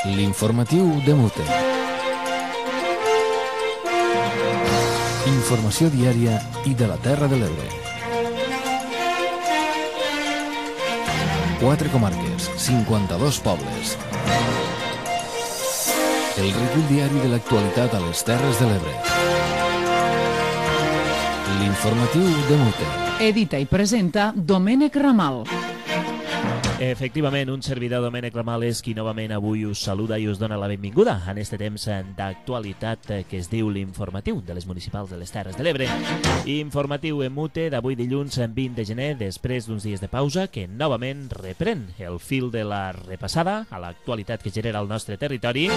L'informatiu de Mute. Informació diària i de la Terra de l'Ebre. 4 comarques, 52 pobles. El recull diari de l'actualitat a les Terres de l'Ebre. L'informatiu de Mute. Edita i presenta Domènec Ramal. Efectivament, un servidor, Domènec Ramal, és qui novament avui us saluda i us dona la benvinguda en este temps d'actualitat que es diu l'informatiu de les municipals de les Terres de l'Ebre. Informatiu en Mute d'avui dilluns 20 de gener, després d'uns dies de pausa, que novament reprèn el fil de la repassada a l'actualitat que genera el nostre territori.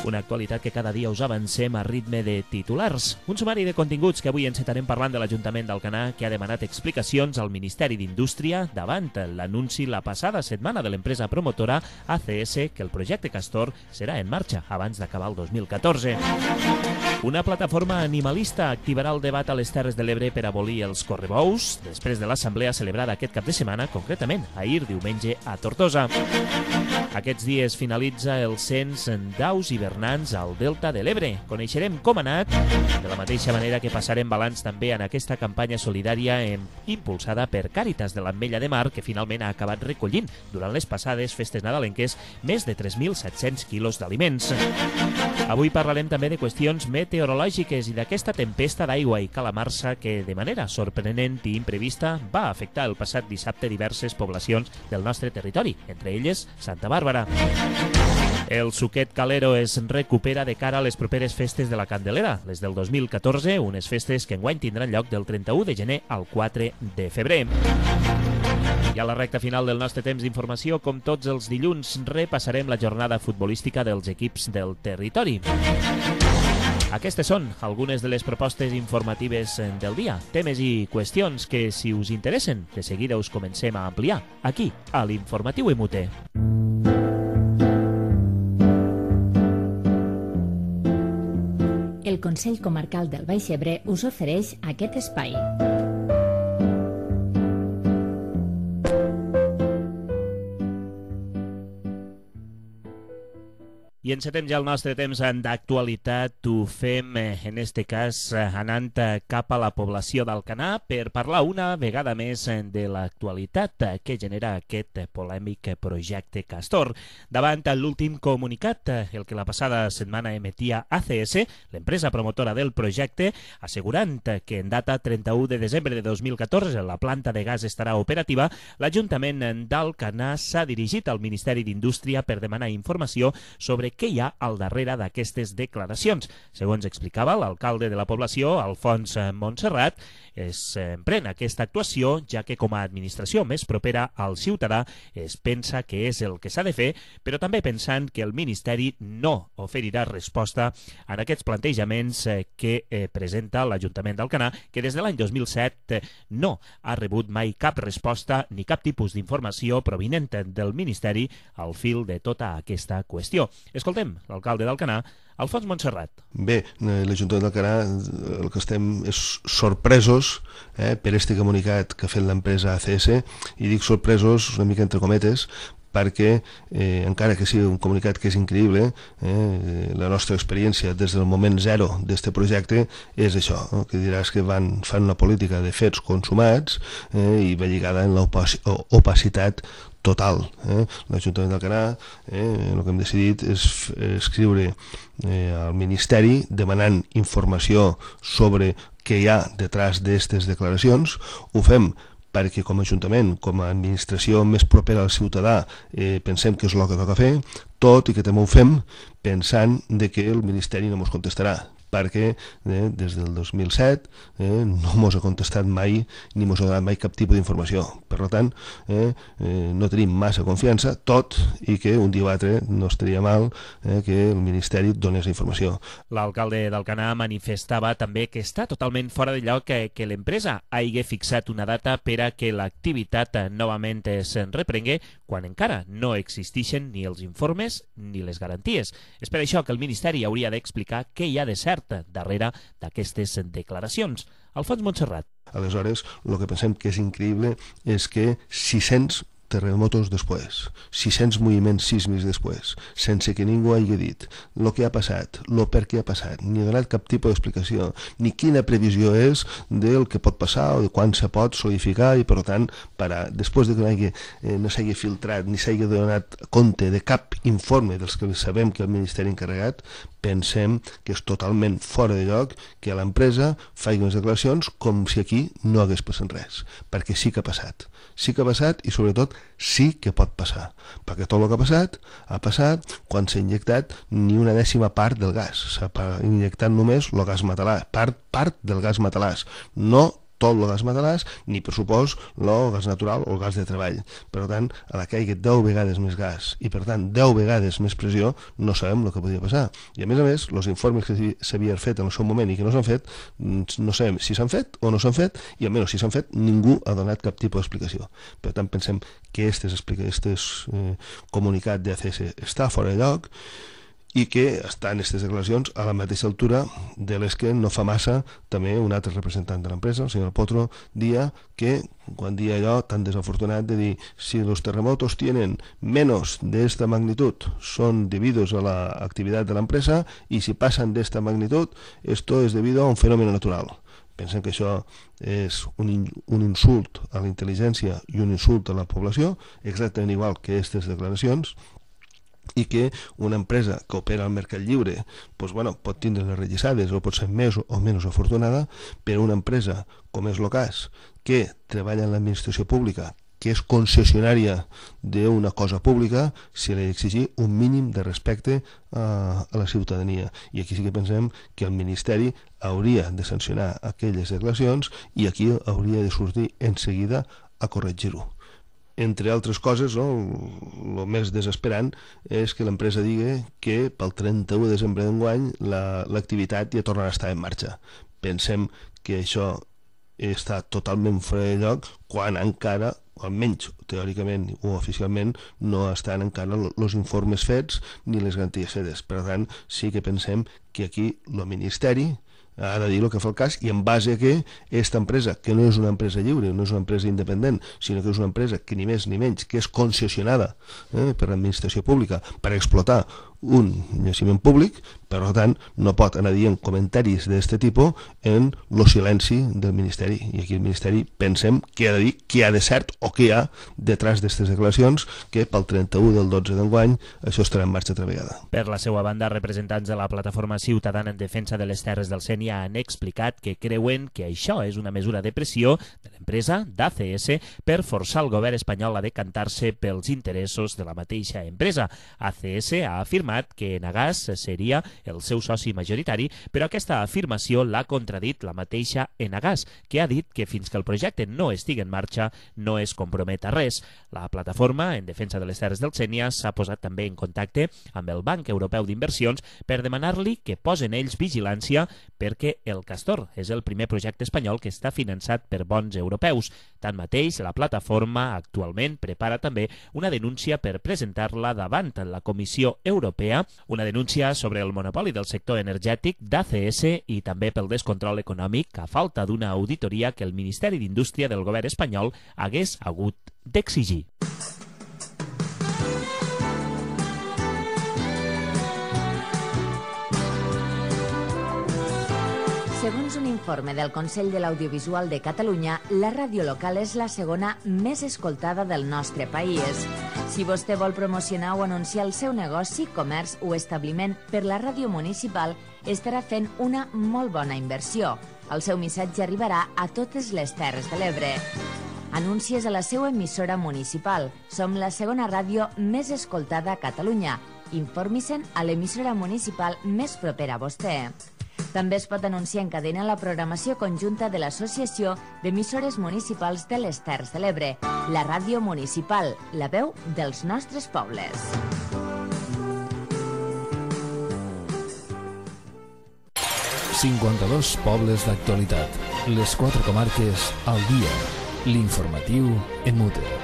Una actualitat que cada dia us avancem a ritme de titulars. Un sumari de continguts que avui encetarem parlant de l'Ajuntament d'Alcanar, que ha demanat explicacions al Ministeri d'Indústria davant l'anunci la passada setmana de l'empresa promotora ACS que el projecte Castor serà en marxa abans d'acabar el 2014. Una plataforma animalista activarà el debat a les Terres de l'Ebre per abolir els correbous després de l'assemblea celebrada aquest cap de setmana, concretament ahir diumenge a Tortosa. Aquests dies finalitza el cens d'aus hivernants al Delta de l'Ebre. Coneixerem com ha anat, de la mateixa manera que passarem balanç també en aquesta campanya solidària impulsada per Càritas de l'Ametlla de Mar, que finalment ha acabat recollint durant les passades festes nadalenques més de 3.700 quilos d'aliments. Avui parlarem també de qüestions meteorològiques i d'aquesta tempesta d'aigua i calamarsa que, de manera sorprenent i imprevista, va afectar el passat dissabte diverses poblacions del nostre territori, entre elles Santa Bàrbara. El suquet calero es recupera de cara a les properes festes de la Candelera, les del 2014, unes festes que enguany tindran lloc del 31 de gener al 4 de febrer. I a la recta final del nostre temps d'informació, com tots els dilluns, repassarem la jornada futbolística dels equips del territori. Aquestes són algunes de les propostes informatives del dia, temes i qüestions que, si us interessen, de seguida us comencem a ampliar, aquí, a l'Informatiu Mute. El Consell Comarcal del Baix Ebre us ofereix aquest espai. I encetem ja el nostre temps d'actualitat. Ho fem, en este cas, anant cap a la població d'Alcanar per parlar una vegada més de l'actualitat que genera aquest polèmic projecte Castor. Davant l'últim comunicat, el que la passada setmana emetia ACS, l'empresa promotora del projecte, assegurant que en data 31 de desembre de 2014 la planta de gas estarà operativa, l'Ajuntament d'Alcanar s'ha dirigit al Ministeri d'Indústria per demanar informació sobre què hi ha al darrere d'aquestes declaracions. Segons explicava l'alcalde de la població, Alfons Montserrat, es pren aquesta actuació ja que com a administració més propera al ciutadà es pensa que és el que s'ha de fer, però també pensant que el Ministeri no oferirà resposta en aquests plantejaments que presenta l'Ajuntament d'Alcanar, que des de l'any 2007 no ha rebut mai cap resposta ni cap tipus d'informació provinent del Ministeri al fil de tota aquesta qüestió. Escoltem l'alcalde d'Alcanar, Alfons Montserrat. Bé, l'Ajuntament d'Alcanar el que estem és sorpresos per este comunicat que ha fet l'empresa ACS, i dic sorpresos una mica entre cometes, perquè encara que sigui un comunicat que és increïble, la nostra experiència des del moment zero d'aquest projecte és això, que diràs que fan una política de fets consumats i va lligada en l'opacitat total. L'Ajuntament d'Alcanar el que hem decidit és escriure al Ministeri demanant informació sobre què hi ha detrás d'aquestes declaracions. Ho fem perquè com a Ajuntament, com a administració més propera al ciutadà, pensem que és el que toca fer, tot i que també ho fem pensant que el Ministeri no ens contestarà, perquè des del 2007 no ens ha contestat mai ni ens ha donat mai cap tipus d'informació. Per tant, no tenim massa confiança, tot i que un dia o altre no estaria mal que el Ministeri donés informació. L'alcalde d'Alcanar manifestava també que està totalment fora de lloc que l'empresa hagi fixat una data per a que l'activitat novament es reprengue quan encara no existeixen ni els informes ni les garanties. És per això que el Ministeri hauria d'explicar què hi ha de cert darrere d'aquestes declaracions. Alfons Montserrat. Aleshores, el que pensem que és increïble és que 600 terremotos després, 600 moviments sísmics després, sense que ningú hagi dit el que ha passat, el per què ha passat, ni ha donat cap tipus d'explicació, ni quina previsió és del que pot passar o de quan se pot solidificar i, per tant, després de que no s'hagi filtrat ni s'hagi donat compte de cap informe dels que sabem que el Ministeri ha encarregat, pensem que és totalment fora de lloc que l'empresa faci unes declaracions com si aquí no hagués passat res, perquè sí que ha passat i sobretot sí que pot passar, perquè tot el que ha passat quan s'ha injectat ni una dècima part del gas, s'ha injectat només el gas metalàs, part del gas metalàs, no tot el gas metalàs, ni per supost el gas natural o el gas de treball. Per tant, a la que hi hagi 10 vegades més gas i per tant 10 vegades més pressió, no sabem el que podria passar. I a més, els informes que s'havien fet en el seu moment i que no s'han fet, no sabem si s'han fet o no s'han fet, i almenys si s'han fet ningú ha donat cap tipus d'explicació. Per tant, pensem que este comunicat d'ACS està fora de lloc i que estan aquestes declaracions a la mateixa altura de les que no fa massa també un altre representant de l'empresa, el senyor Potro, dia que quan dia allò tan desafortunat de dir si los terremotos tienen menos de esta magnitud son debidos a la actividad de la empresa y si pasan de esta magnitud esto es debido a un fenómeno natural. Pensem que això és un insult a la intel·ligència i un insult a la població, exactament igual que aquestes declaracions, i que una empresa que opera al mercat lliure pot tindre les rellisades o pot ser més o menys afortunada, però una empresa com és el cas, que treballa en l'administració pública, que és concessionària d'una cosa pública, se li ha d'exigir un mínim de respecte a la ciutadania. I aquí sí que pensem que el Ministeri hauria de sancionar aquelles declaracions i aquí hauria de sortir en seguida a corregir-ho. Entre altres coses, el més desesperant és que l'empresa digui que pel 31 de desembre d'enguany l'activitat ja tornarà a estar en marxa. Pensem que això està totalment fora de lloc quan encara, almenys teòricament o oficialment, no estan encara els informes fets ni les garanties fetes. Per tant, sí que pensem que aquí el Ministeri ha de dir el que fa el cas i en base a que aquesta empresa, que no és una empresa lliure, no és una empresa independent, sinó que és una empresa que ni més ni menys que és concessionada per l'administració pública per explotar un jaciment públic, per tant no pot anar dient comentaris d'aquest tipus en el silenci del Ministeri, i aquí el Ministeri pensem que ha de dir què hi ha de cert o què hi ha detrás d'aquestes declaracions, que pel 31 del 12 d'enguany això estarà en marxa altra vegada. Per la seva banda, representants de la Plataforma Ciutadana en Defensa de les Terres del Sénia han explicat que creuen que això és una mesura de pressió de l'empresa d'ACS per forçar el govern espanyol a decantar-se pels interessos de la mateixa empresa. ACS ha afirmat que Enagás seria el seu soci majoritari, però aquesta afirmació l'ha contradit la mateixa Enagás, que ha dit que fins que el projecte no estigui en marxa no es compromet a res. La Plataforma en Defensa de les Terres del Sénia s'ha posat també en contacte amb el Banc Europeu d'Inversions per demanar-li que posen ells vigilància perquè el Castor és el primer projecte espanyol que està finançat per bons europeus. Tanmateix, la Plataforma actualment prepara també una denúncia per presentar-la davant la Comissió Europea, una denúncia sobre el monopoli del sector energètic d'ACS i també pel descontrol econòmic a falta d'una auditoria que el Ministeri d'Indústria del govern espanyol hagués hagut d'exigir. Segons un informe del Consell de l'Audiovisual de Catalunya, la ràdio local és la segona més escoltada del nostre país. Si vostè vol promocionar o anunciar el seu negoci, comerç o establiment per la ràdio municipal, estarà fent una molt bona inversió. El seu missatge arribarà a totes les Terres de l'Ebre. Anuncies a la seva emissora municipal. Som la segona ràdio més escoltada a Catalunya. Informi-se'n a l'emissora municipal més propera a vostè. També es pot anunciar en cadena la programació conjunta de l'Associació d'Emissores Municipals de les Terres de l'Ebre, la ràdio municipal, la veu dels nostres pobles. «52 pobles d'actualitat. Les 4 comarques al dia. L'informatiu en Mute».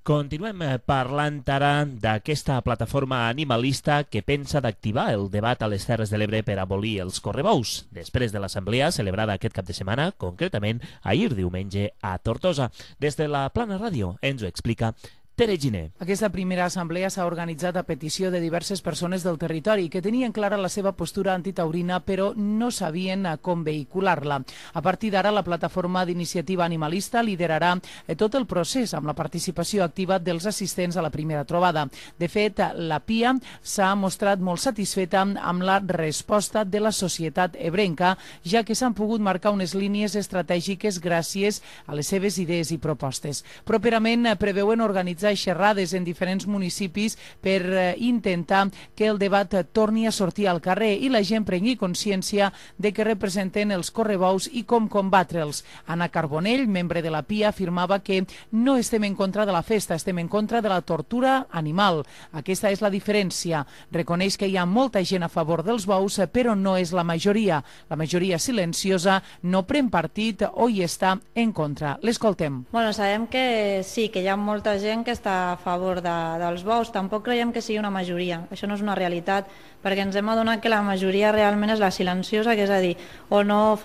Continuem parlant ara d'aquesta plataforma animalista que pensa d'activar el debat a les Terres de l'Ebre per abolir els correbous, després de l'assemblea celebrada aquest cap de setmana, concretament ahir diumenge a Tortosa. Des de la Plana Ràdio ens ho explica Tere Giner. Aquesta primera assemblea s'ha organitzat a petició de diverses persones del territori que tenien clara la seva postura antitaurina però no sabien com vehicular-la. A partir d'ara, la plataforma d'iniciativa animalista liderarà tot el procés amb la participació activa dels assistents a la primera trobada. De fet, la PIA s'ha mostrat molt satisfeta amb la resposta de la societat ebrenca, ja que s'han pogut marcar unes línies estratègiques gràcies a les seves idees i propostes. Properament preveuen organitzar xerrades en diferents municipis per intentar que el debat torni a sortir al carrer i la gent prengui consciència de què representen els correbous i com combatre'ls. Anna Carbonell, membre de la PIA, afirmava que no estem en contra de la festa, estem en contra de la tortura animal. Aquesta és la diferència. Reconeix que hi ha molta gent a favor dels bous, però no és la majoria. La majoria silenciosa no pren partit o hi està en contra. L'escoltem. Bueno, sabem que sí, que hi ha molta gent que està a favor dels bous. Tampoc creiem que sigui una majoria. Això no és una realitat, perquè ens hem adonat que la majoria realment és la silenciosa, que és a dir, o no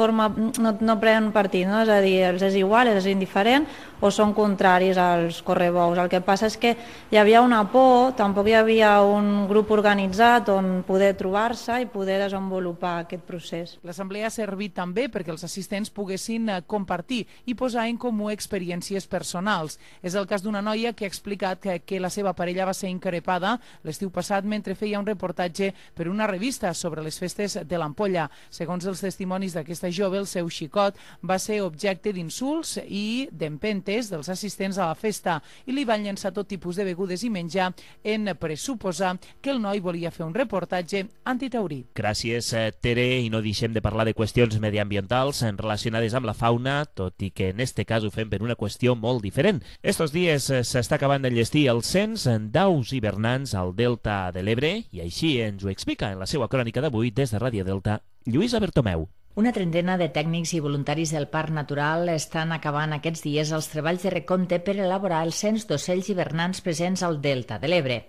pren partit, no? És a dir, els és igual, és indiferent, o són contraris als correbous. El que passa és que hi havia una por, tampoc hi havia un grup organitzat on poder trobar-se i poder desenvolupar aquest procés. L'assemblea ha servit també perquè els assistents poguessin compartir i posar en comú experiències personals. És el cas d'una noia que ha explicat que la seva parella va ser increpada l'estiu passat mentre feia un reportatge per una revista sobre les festes de l'Ampolla. Segons els testimonis d'aquesta jove, el seu xicot va ser objecte d'insults i d'empentes dels assistents a la festa i li van llançar tot tipus de begudes i menjar en pressuposar que el noi volia fer un reportatge antitaurí. Gràcies, Tere, i no deixem de parlar de qüestions mediambientals relacionades amb la fauna, tot i que en este cas ho fem per una qüestió molt diferent. Estos dies s'està acabant d'enllestir el cens d'aus hivernants al Delta de l'Ebre i així ens ho explica en la seva crònica d'avui des de Ràdio Delta, Lluïsa Bertomeu. Una trentena de tècnics i voluntaris del Parc Natural estan acabant aquests dies els treballs de recompte per elaborar el cens d'ocells hivernants presents al Delta de l'Ebre.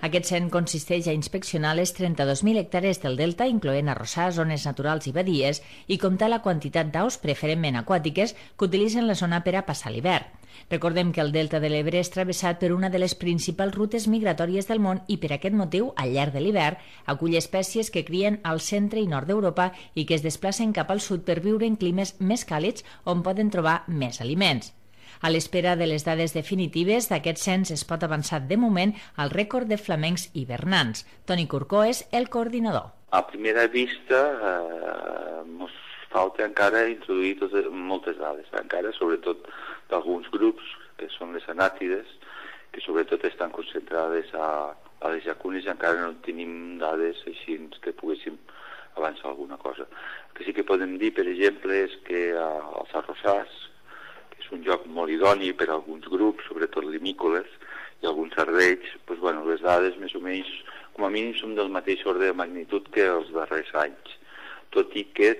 Aquest cens consisteix a inspeccionar les 32.000 hectàrees del Delta, incloent arrossars, zones naturals i badies, i comptar la quantitat d'aus, preferentment aquàtiques, que utilitzen la zona per a passar l'hivern. Recordem que el Delta de l'Ebre és travessat per una de les principals rutes migratòries del món i per aquest motiu, al llarg de l'hivern, acull espècies que crien al centre i nord d'Europa i que es desplacen cap al sud per viure en climes més càlids on poden trobar més aliments. A l'espera de les dades definitives d'aquest cens es pot avançar de moment al rècord de flamencs hivernants. Toni Corcó és el coordinador. A primera vista ens falta encara introduir moltes dades, encara sobretot d'alguns grups, que són les anàtides, que sobretot estan concentrades a les llacunes i encara no tenim dades així que poguéssim avançar alguna cosa. El que sí que podem dir, per exemple, és que els arrossars, que és un lloc molt idoni per a alguns grups, sobretot limícoles, i alguns cervells, doncs, bueno, les dades més o menys, com a mínim, són del mateix ordre de magnitud que els darrers anys, tot i que,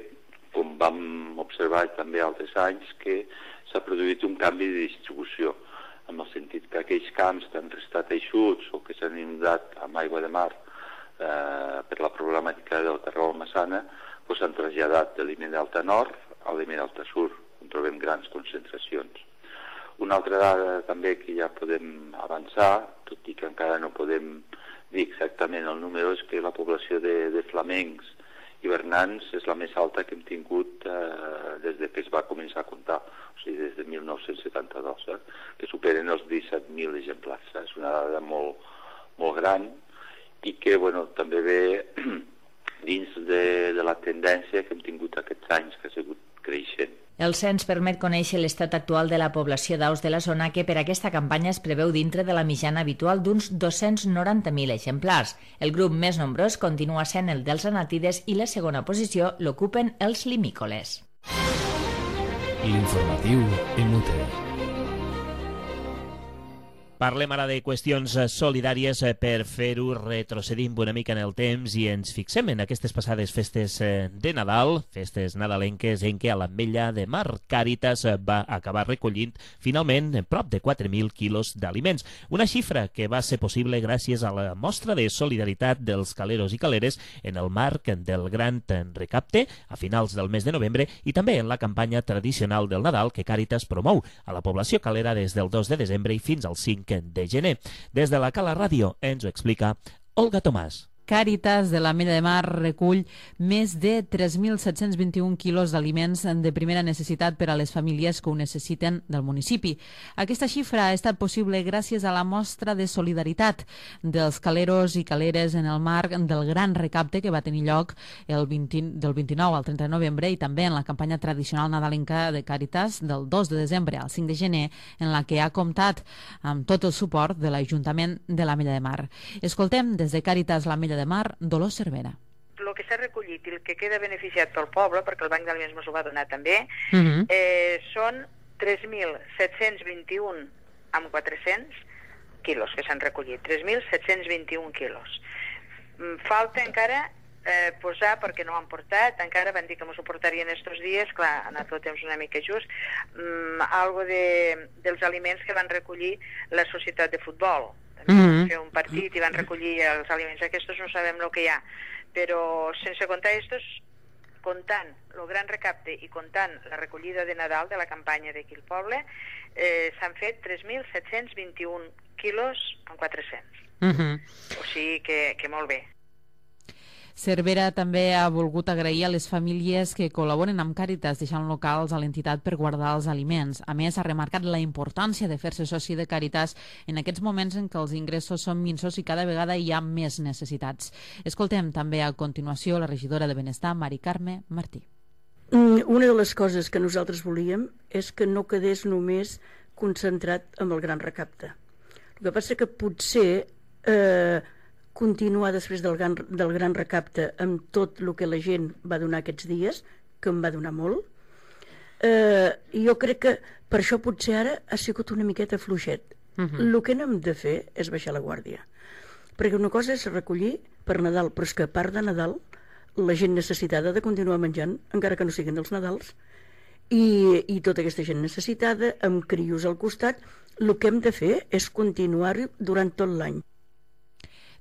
com vam observar també altres anys, que s'ha produït un canvi de distribució, en el sentit que aquells camps que han restat eixuts o que s'han inundat amb aigua de mar per la problemàtica del Carreu Massana, s'han traslladat de l'Ime Delta Nord a l'Ime Delta Sur, on trobem grans concentracions. Una altra dada també que ja podem avançar, tot i que encara no podem dir exactament el número, és que la població de flamencs hivernants és la més alta que hem tingut des que es va començar a comptar, o sigui, des de 1972, que superen els 17.000 exemplars. És una dada molt, molt gran i que també ve dins de la tendència que hem tingut aquests anys, que ha sigut creixent. El cens permet conèixer l'estat actual de la població d'aus de la zona que per aquesta campanya es preveu dintre de la mitjana habitual d'uns 290.000 exemplars. El grup més nombrós continua sent el dels anàtides i la segona posició l'ocupen els limícoles. L'informatiu en UTE. Parlem ara de qüestions solidàries. Per fer-ho retrocedim una mica en el temps i ens fixem en aquestes passades festes de Nadal, festes nadalenques en què a l'Ametlla de Mar Càritas va acabar recollint finalment prop de 4.000 quilos d'aliments. Una xifra que va ser possible gràcies a la mostra de solidaritat dels caleros i caleres en el marc del Gran Recapte a finals del mes de novembre i també en la campanya tradicional del Nadal que Càritas promou a la població calera des del 2 de desembre i fins al 5 de gener. Des de la Cala Ràdio ens ho explica Olga Tomàs. Càritas de l'Ametlla de Mar recull més de 3.721 quilos d'aliments de primera necessitat per a les famílies que ho necessiten del municipi. Aquesta xifra ha estat possible gràcies a la mostra de solidaritat dels caleros i caleres en el marc del Gran Recapte que va tenir lloc del 29 al 30 de novembre i també en la campanya tradicional nadalenca de Càritas del 2 de desembre al 5 de gener, en la que ha comptat amb tot el suport de l'Ajuntament de l'Ametlla de Mar. Escoltem des de Càritas l'Ametlla de Mar, Dolors Cervera. El que s'ha recollit i el que queda beneficiat pel poble, perquè el Banc d'Aliments ens ho va donar també, són 3.721 amb 400 quilos que s'han recollit, 3.721 quilos. Falta encara posar, perquè no ho han portat, encara van dir que m'ho portarien estos dies, clar, ha anat el temps una mica just, algo dels aliments que van recollir la societat de futbol. Van fer un partit i van recollir els aliments aquests, no sabem el que hi ha, però sense comptar estos, comptant el Gran Recapte i comptant la recollida de Nadal de la campanya d'aquí al poble, s'han fet 3.721 quilos amb 400. O sigui que molt bé. Cervera també ha volgut agrair a les famílies que col·laboren amb Càritas deixant locals a l'entitat per guardar els aliments. A més, ha remarcat la importància de fer-se soci de Càritas en aquests moments en què els ingressos són minsos i cada vegada hi ha més necessitats. Escoltem també a continuació la regidora de Benestar, Mari Carme Martí. Una de les coses que nosaltres volíem és que no quedés només concentrat amb el Gran Recapte. El que passa que potser continuar després del Gran Recapte amb tot el que la gent va donar aquests dies, que em va donar molt, jo crec que per això potser ara ha sigut una miqueta fluixet. El que no hem de fer és baixar la guàrdia, perquè una cosa és recollir per Nadal, però és que a part de Nadal la gent necessitada ha de continuar menjant, encara que no siguin els Nadals, i tota aquesta gent necessitada amb crios al costat, el que hem de fer és continuar-ho durant tot l'any.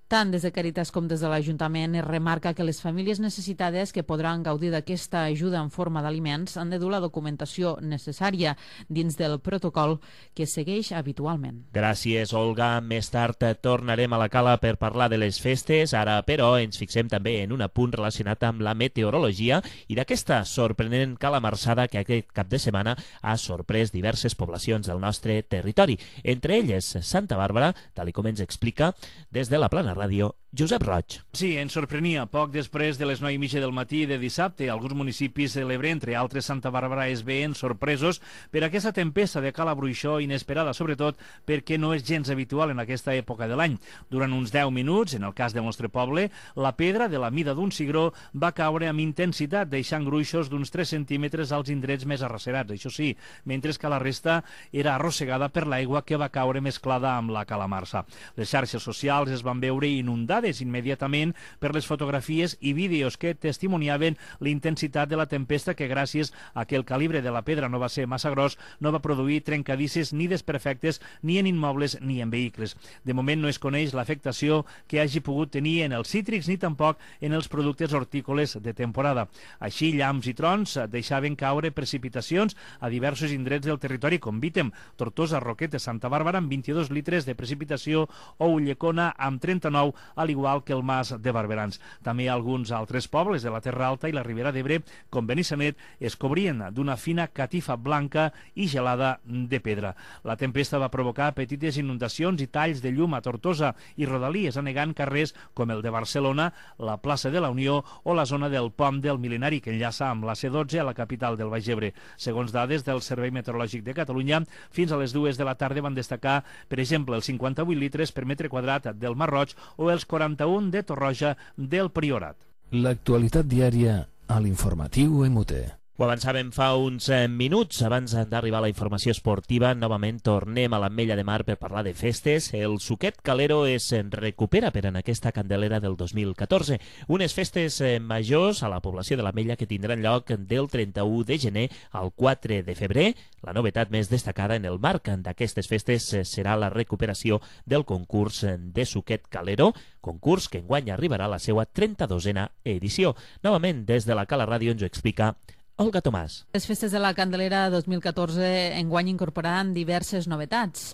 Tant des de Càritas com des de l'Ajuntament es remarca que les famílies necessitades que podran gaudir d'aquesta ajuda en forma d'aliments han de dur la documentació necessària dins del protocol que segueix habitualment. Gràcies, Olga. Més tard tornarem a la Cala per parlar de les festes. Ara, però, ens fixem també en un apunt relacionat amb la meteorologia i d'aquesta sorprenent calamarsada que aquest cap de setmana ha sorprès diverses poblacions del nostre territori. Entre elles, Santa Bàrbara, tal com ens explica des de la Plana Ràdio, Josep Roig. Sí, ens sorprenia. Poc després de les 9:30 del matí de dissabte, alguns municipis de l'Ebre, entre altres Santa Bàrbara, es veien sorpresos per aquesta tempesta de calabruixó inesperada, sobretot perquè no és gens habitual en aquesta època de l'any. Durant uns 10 minuts, en el cas del nostre poble, la pedra de la mida d'un cigró va caure amb intensitat, deixant gruixos d'uns 3 centímetres als indrets més arrossegats, això sí, mentre que la resta era arrossegada per l'aigua que va caure mesclada amb la calamarsa. Les xarxes socials es van veure inundades immediatament per les fotografies i vídeos que testimoniaven la intensitat de la tempesta que gràcies a que el calibre de la pedra no va ser massa gros no va produir trencadisses ni desperfectes ni en immobles ni en vehicles. De moment no es coneix l'afectació que hagi pogut tenir en els cítrics ni tampoc en els productes hortícoles de temporada. Així, llamps i trons deixaven caure precipitacions a diversos indrets del territori com Vítem, Tortosa, Roquetes, Santa Bàrbara amb 22 litres de precipitació o Ulldecona amb 39, al igual que el Mas de Barberans. També alguns altres pobles de la Terra Alta i la Ribera d'Ebre, com Benissanet, es cobrien d'una fina catifa blanca i gelada de pedra. La tempesta va provocar petites inundacions i talls de llum a Tortosa i rodalies, anegant carrers com el de Barcelona, la plaça de la Unió o la zona del Pont del Mil·lenari que enllaça amb la C12 a la capital del Baix Ebre. Segons dades del Servei Meteorològic de Catalunya, fins a les 2 de la tarda van destacar, per exemple, els 58 litres per metre quadrat del Mar Roig o els 41 de Torroja del Priorat. L'actualitat diària a l'informatiu MUT. Ho avançàvem fa uns minuts. Abans d'arribar a la informació esportiva, novament tornem a l'Ametlla de Mar per parlar de festes. El Suquet Calero es recupera per en aquesta Candelera del 2014. Unes festes majors a la població de l'Ametlla que tindran lloc del 31 de gener al 4 de febrer. La novetat més destacada en el marc d'aquestes festes serà la recuperació del concurs de Suquet Calero, concurs que enguany arribarà a la seva 32a edició. Novament, des de la Cala Ràdio ens ho explica Olga Tomàs. Les festes de la Candelera 2014 enguany incorporaran diverses novetats,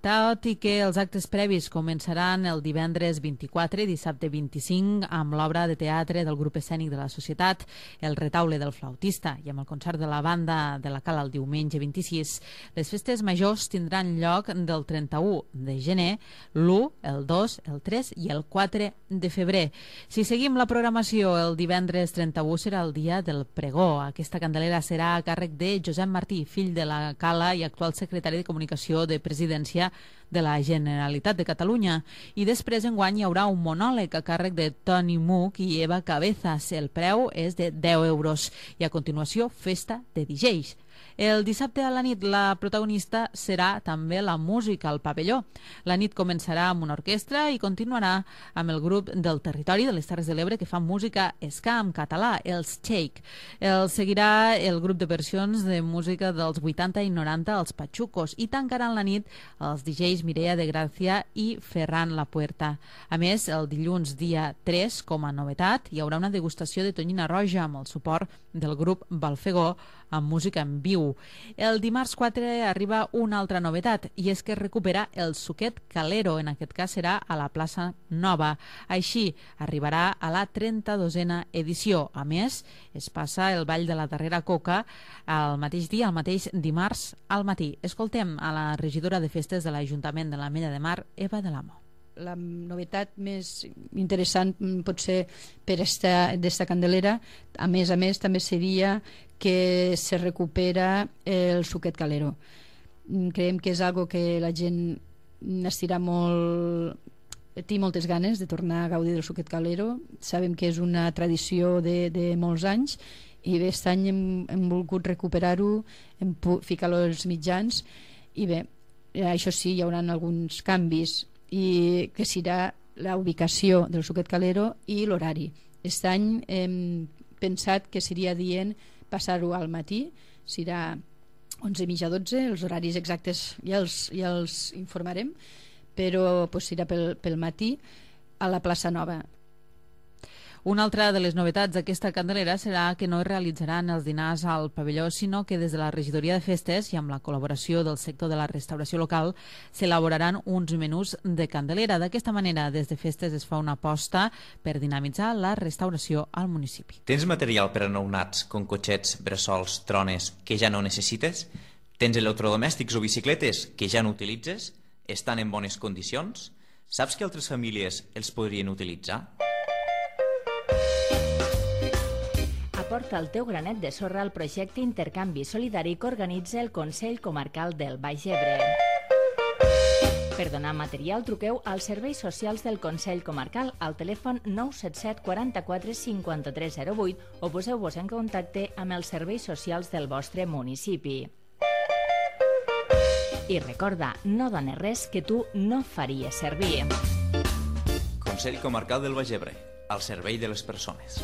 tot i que els actes previs començaran el divendres 24 i dissabte 25 amb l'obra de teatre del grup escènic de la Societat, el Retaule del Flautista, i amb el concert de la banda de la Cala el diumenge 26. Les festes majors tindran lloc del 31 de gener, l'1, el 2, el 3 i el 4 de febrer. Si seguim la programació, el divendres 31 serà el dia del pregó. Aquesta Candelera serà a càrrec de Josep Martí, fill de la Cala i actual secretari de Comunicació de Presidència de la Generalitat de Catalunya. I després enguany hi haurà un monòleg a càrrec de Toni Muc i Eva Cabezas. El preu és de 10 euros. I a continuació, festa de DJs. El dissabte a la nit la protagonista serà també la música al pavelló. La nit començarà amb una orquestra i continuarà amb el grup del territori de les Terres de l'Ebre que fa música ska en català, els Shake. El seguirà el grup de versions de música dels 80 i 90, els Pachucos, i tancaran la nit els DJs Mireia de Gràcia i Ferran La Puerta. A més, el dilluns dia 3, com a novetat, hi haurà una degustació de tonyina roja amb el suport del grup Balfegó amb música en viu. El dimarts 4 arriba una altra novetat i és que es recupera el Suquet Calero, en aquest cas serà a la plaça Nova. Així arribarà a la 32a edició. A més, es passa el ball de la darrera coca el mateix dia, el mateix dimarts al matí. Escoltem a la regidora de festes de l'Ajuntament de l'Ametlla de Mar, Eva de l'Amo. La novetat més interessant potser per d'esta Candelera, a més, també seria que se recupera el Suquet Calero. Creiem que és algo que la gent n'estirà molt, té moltes ganes de tornar a gaudir del Suquet Calero. Sabem que és una tradició de molts anys i bé, aquest any hem volgut recuperar-ho, ficar-lo als mitjans i bé, això sí, hi haurà alguns canvis i que serà la ubicació del Suquet Calero i l'horari. Aquest any hem pensat que seria dient passar-ho al matí, serà 11:30 a 12, els horaris exactes ja els informarem, però serà pel matí a la plaça Nova. Una altra de les novetats d'aquesta Candelera serà que no es realitzaran els dinars al pavelló, sinó que des de la Regidoria de Festes i amb la col·laboració del sector de la restauració local s'elaboraran uns menús de Candelera. D'aquesta manera, des de Festes es fa una aposta per dinamitzar la restauració al municipi. Tens material per a nounats, com cotxets, bressols, trones, que ja no necessites? Tens electrodomèstics o bicicletes que ja no utilitzes? Estan en bones condicions? Saps que altres famílies els podrien utilitzar? Aporta el teu granet de sorra al projecte Intercanvi Solidari que organitza el Consell Comarcal del Baix Ebre. Per donar material, truqueu als serveis socials del Consell Comarcal al telèfon 977 44 53 08 o poseu-vos en contacte amb els serveis socials del vostre municipi. I recorda, no dones res que tu no faries servir. Consell Comarcal del Baix Ebre, al servei de les persones.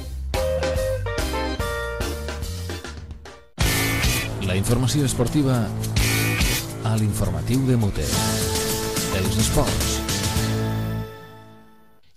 La informació esportiva a l'informatiu de Mute. Els esports.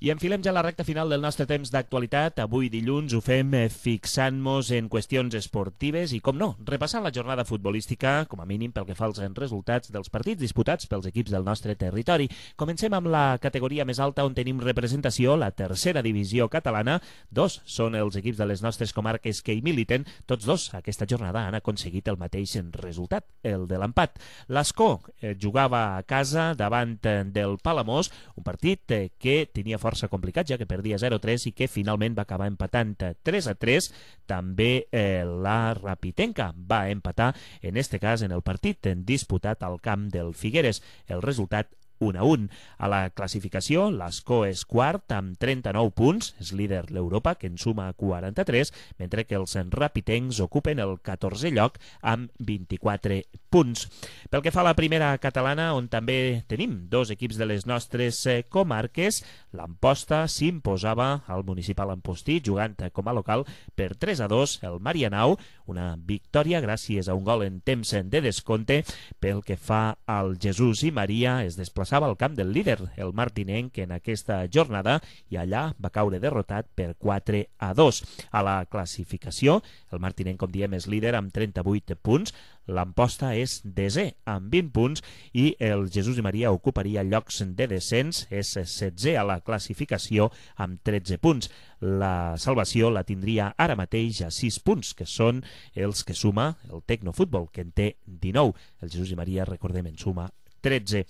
I enfilem ja la recta final del nostre temps d'actualitat. Avui dilluns ho fem fixant-nos en qüestions esportives i, com no, repassant la jornada futbolística, com a mínim pel que fa als resultats dels partits disputats pels equips del nostre territori. Comencem amb la categoria més alta on tenim representació, la tercera divisió catalana. Dos són els equips de les nostres comarques que hi militen. Tots dos aquesta jornada han aconseguit el mateix resultat, el de l'empat. L'Escó jugava a casa davant del Palamós, un partit que tenia força complicat, ja que perdia 0-3 i que finalment va acabar empatant 3-3. També la Rapitenca va empatar, en este cas en el partit disputat al camp del Figueres. El resultat 1-1. A la classificació, l'Escó és quart amb 39 punts, és líder l'Europa, que en suma 43, mentre que els rapitencs ocupen el 14è lloc amb 24 punts. Pel que fa a la primera catalana, on també tenim dos equips de les nostres comarques, l'Amposta s'imposava al Municipal Ampostí, jugant com a local per 3-2 el Marianao, una victòria gràcies a un gol en temps de descompte. Pel que fa al Jesús i Maria, es desplaçava al camp del líder, el martinenc, en aquesta jornada, i allà va caure derrotat per 4-2. A la classificació, el martinenc, com diem, és líder amb 38 punts, l'Amposta és desè amb 20 punts i el Jesús i Maria ocuparia llocs de descens, és 16è a la classificació amb 13 punts. La salvació la tindria ara mateix a 6 punts, que són els que suma el Tecnofutbol, que en té 19. El Jesús i Maria, recordem, en suma 13.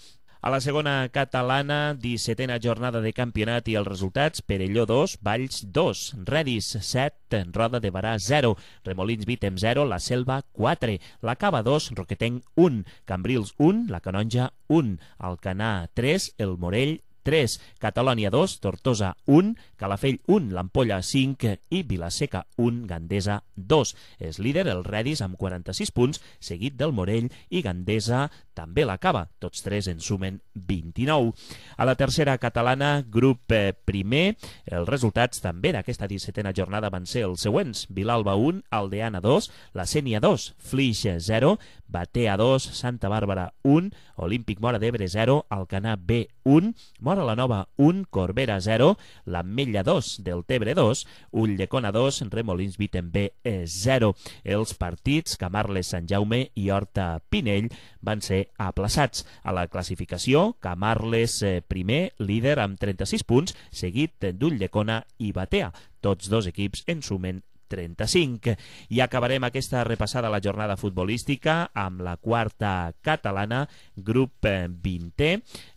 A la segona catalana, 17a jornada de campionat i els resultats: Perelló 2, Valls 2, Redis 7, Roda de Barà 0, Remolins Vítem 0, La Selva 4, La Cava 2, Roquetenc 1, Cambrils 1, La Canonja 1, Alcanar 3, El Morell 3, Catalònia 2, Tortosa 1, Calafell 1, l'Ampolla 5 i Vilaseca 1, Gandesa 2. És líder el Redis amb 46 punts, seguit del Morell i Gandesa també l'acaba. Tots tres en sumen 29. A la tercera catalana, grup primer, els resultats també d'aquesta 17a jornada van ser els següents: Vilalba 1, Aldeana 2, La Sénia 2, Flix 0, Batea 2, Santa Bàrbara 1, Olímpic Móra d'Ebre 0, Alcanar B 1, Móra la Nova 1, Corbera 0, l'Ametlla 2, Deltebre 2, Ulldecona 2, Remolins Vítem B 0. Els partits Camarles Sant Jaume i Horta Pinell van ser aplaçats. A la classificació, Camarles primer, líder amb 36 punts, seguit d'Ulldecona i Batea. Tots dos equips en sumen 35. I acabarem aquesta repassada a la jornada futbolística amb la quarta catalana, grup 20è.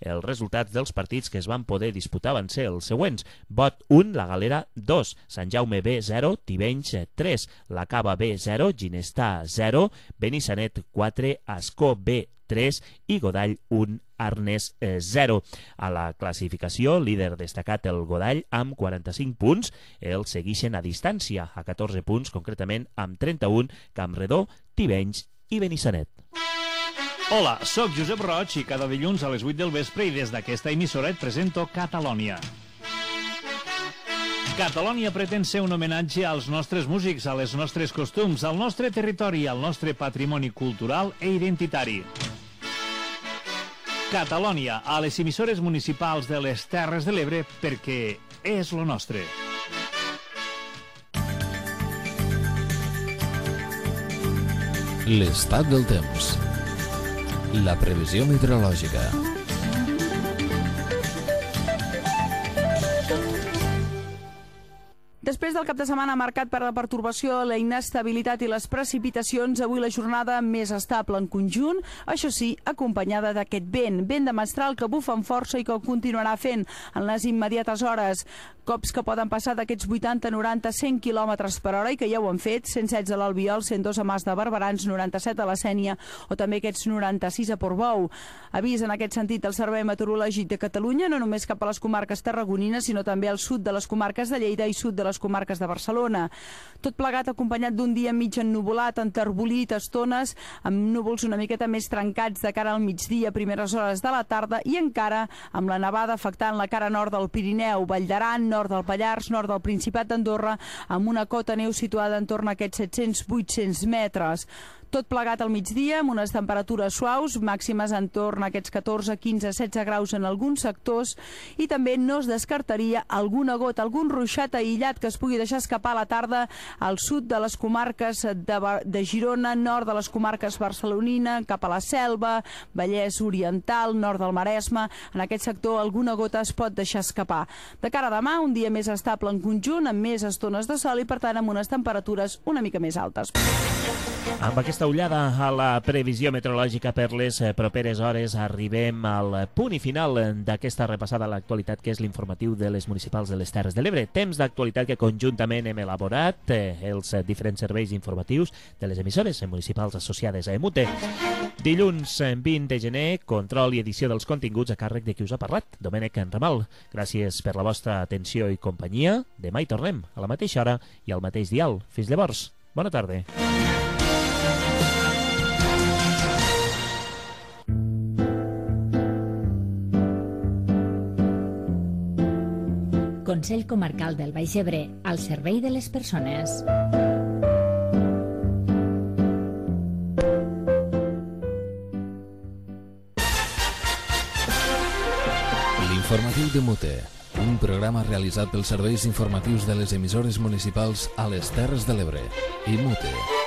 Els resultats dels partits que es van poder disputar van ser els següents: Bot 1, La Galera 2, Sant Jaume B 0, Tivenys 3, La Cava B 0, Ginestà 0, Benissanet 4, Ascó B 3 i Godall 1, Arnes 0. A la classificació, líder destacat el Godall amb 45 punts, els segueixen a distància, a 14 punts, concretament amb 31, Campredó, Tivenys i Benissanet. Hola, sóc Josep Roig i cada dilluns a les 8 del vespre i des d'aquesta emissora et presento Catalònia. Catalònia pretén ser un homenatge als nostres músics, a les nostres costums, al nostre territori, al nostre patrimoni cultural i identitari. Catalònia, a les emissores municipals de les Terres de l'Ebre, perquè és lo nostre. L'estat del temps. La previsió meteorològica. Després del cap de setmana marcat per la pertorbació, la inestabilitat i les precipitacions, avui la jornada més estable en conjunt, això sí, acompanyada d'aquest vent de mestral que bufa amb força i que ho continuarà fent en les immediates hores. Cops que poden passar d'aquests 80, 90, 100 km per hora i que ja ho han fet, 116 a l'Albiol, 102 a Mas de Barberans, 97 a la Sénia o també aquests 96 a Portbou. Avís en aquest sentit el Servei Meteorològic de Catalunya, no només cap a les comarques tarragonines, sinó també al sud de les comarques de Lleida i sud de les comarques de Barcelona. Tot plegat acompanyat d'un dia mig ennuvolat, enterbolit, estones, amb núvols una miqueta més trencats de cara al migdia, primeres hores de la tarda, i encara amb la nevada afectant la cara nord del Pirineu, Vall d'Aran, nord del Pallars, nord del Principat d'Andorra, amb una cota neu situada entorn a aquests 700-800 metres. Tot plegat al migdia, amb unes temperatures suaus, màximes entorn a aquests 14, 15, 16 graus en alguns sectors, i també no es descartaria alguna gota, algun ruixat aïllat que es pugui deixar escapar a la tarda al sud de les comarques de Girona, nord de les comarques barcelonina, cap a la Selva, Vallès Oriental, nord del Maresme. En aquest sector alguna gota es pot deixar escapar. De cara a demà, un dia més estable en conjunt, amb més estones de sol i, per tant, amb unes temperatures una mica més altes. Amb aquesta ullada a la previsió meteorològica per les properes hores arribem al punt i final d'aquesta repassada a l'actualitat, que és l'informatiu de les municipals de les Terres de l'Ebre. Temps d'actualitat que conjuntament hem elaborat els diferents serveis informatius de les emissores municipals associades a EMUTE. Dilluns 20 de gener, control i edició dels continguts a càrrec de qui us ha parlat, Domènec Ramal. Gràcies per la vostra atenció i companyia. Demà hi tornem, a la mateixa hora i al mateix dial. Fins llavors, bona tarda. Consell Comarcal del Baix Ebre, al servei de les persones. L'informatiu de Mute, un programa realitzat pels serveis informatius de les emissores municipals a les Terres de l'Ebre i Mute.